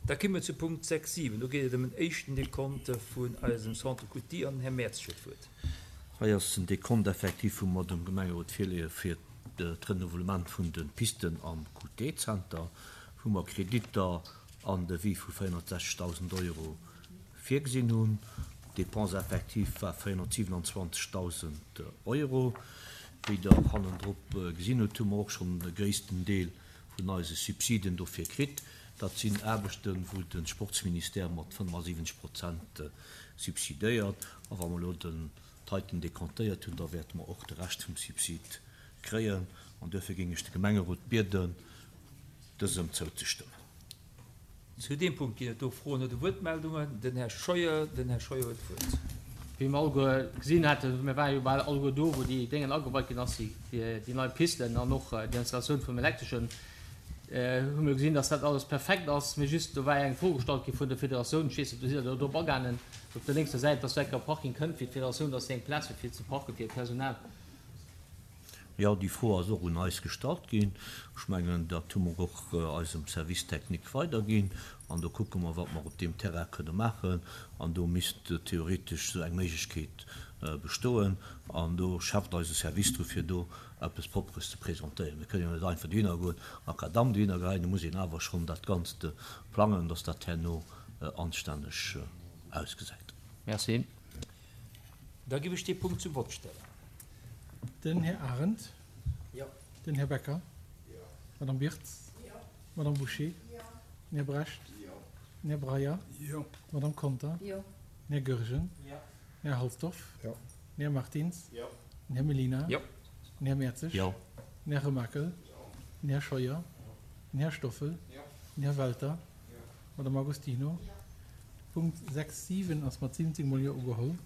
Da komme mer zu Punkt 6, 7. Do geet et ëm en éischten Decompte vun eisem Centre Coutille an den Här Mertz huet d'Wuert. Hei ass den Decompte effectif, wou mer dem Gemengerot virleeë fir d'Renouvellement vun de Pisten am QT-Zenter, wou mer Kreditter an de Vie vu 460.000 Euro virgesinn hunn. D'Dépense effective war 427.000 Euro. Wéi Der hannendrop gesinn hutt, hu mer och schonn de gréissten Deel vun eise Subsiden dofir kritt. Dat sinn Aarbechten, wou de Sportsministère mat 75 Prozent subsidéiert. A wa mer elo den d'heiten decomptéiert hunn, da wäerte mer och de Rescht vum Subsid kréien. An duerfir géing ech de Gemengerot bieden, dësem zouzestëmmen. Zu deem Punkt ginn et do Froen oder Wuertmeldungen. Den Här Scheuer, den Här Scheuer huet d'Wuert. Wéi mer alleguer gesinn haten, mir ware jo bal alleguer do, wou déi Déngen ageweit ginn ass, déi nei Pisten an och déi Installatioun vum Elektreschen, hu mir gesinn, dass dat alles perfekt ass. Mee just, do war eng Fro gestallt gi vun der Federatioun, ech weess net, do sidd Der drop agaangen, op der lénkser Säit, dass do enker e Parking kënnt fir d'Federatioun, dass déi eng Plaz huet fir ze parken, fir hiert Personal. Jo, déi Fro ass och un eis gestallt ginn. Ech mengen, dat hu mer och eisem Service technique weiderginn. An do kucke mer, wat mer op deem Terrain kënne maachen. An do misst theoretesch esou eng Méiglechkeet bestoen. An do schafft eise Service dru fir do eppes Propperes ze presentéieren. Mir kënnen jo net einfach dohinner goen, Makadamm dohinner geheien. Do muss een awer schonn dat Ganzt plangen, dass dat herno anstänneg ausgesäit. Merci. Da giff ech dee Punkt zum Vott stellen. Den Här Arendt. Jo. Den Här Becker. Jo. D'Madame Wirtz. Jo. D'Madame Bouché. Jo. Den Här Brecht. Jo. Den Här Breyer. Jo. D'Madame Conter. Jo. Den Här Goergen. Jo. Den Här Halsdorf. Jo. Den Här Martins. Jo. Den Här Mellina. Jo. Den Här Mertzig. Jo. Den Här Remakel. Jo. Den Här Scheuer. Jo. Den Här Stoffel. Jo. Den Här Welter. Jo. D'Madame Agostino. Jo. Punkt 6, 7 ass mat 17 mol Jo ugeholl.